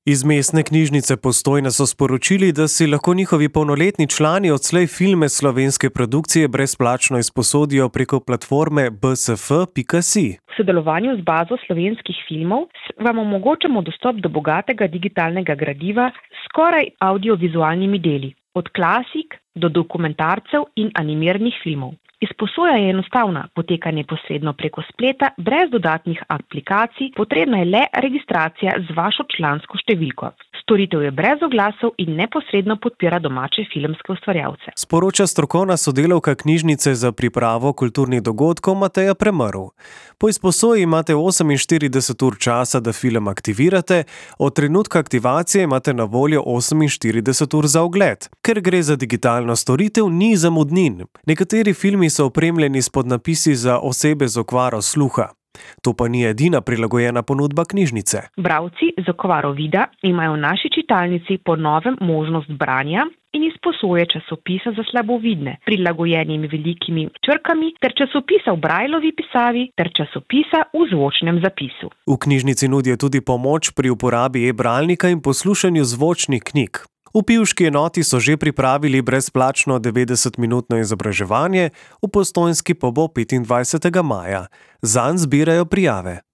Iz mestne knjižnice Postojna so sporočili, da si lahko njihovi polnoletni člani odslej filme slovenske produkcije brezplačno izposodijo preko platforme bsf.si. V sodelovanju z bazo slovenskih filmov vam omogočamo dostop do bogatega digitalnega gradiva s skoraj audiovizualnimi deli, od klasik do dokumentarcev in animiranih filmov. Izposoja je enostavna, poteka neposredno preko spleta, brez dodatnih aplikacij, potrebna je le registracija z vašo člansko številko. Storitev je brez oglasov in neposredno podpira domače filmske ustvarjalce. Sporoča strokovna sodelavka knjižnice za pripravo kulturnih dogodkov Mateja Premrl. Po izposoji imate 48 ur časa, da film aktivirate, od trenutka aktivacije imate na voljo 48 ur za ogled. Ker gre za digitalno storitev, ni zamudnin. Nekateri filmi so opremljeni s podnapisi za osebe z okvaro sluha. To pa ni edina prilagojena ponudba knjižnice. Bralci z okvaro vida imajo v naši čitalnici po novem možnost branja in izposoje časopisa za slabovidne, prilagojenimi velikimi črkami, ter časopisa v Brajlovi pisavi, ter časopisa v zvočnem zapisu. V knjižnici nudijo tudi pomoč pri uporabi e-bralnika in poslušanju zvočnih knjig. V pivški enoti so že pripravili brezplačno 90-minutno izobraževanje, v Postojnski pa bo 25. maja. Zanj zbirajo prijave.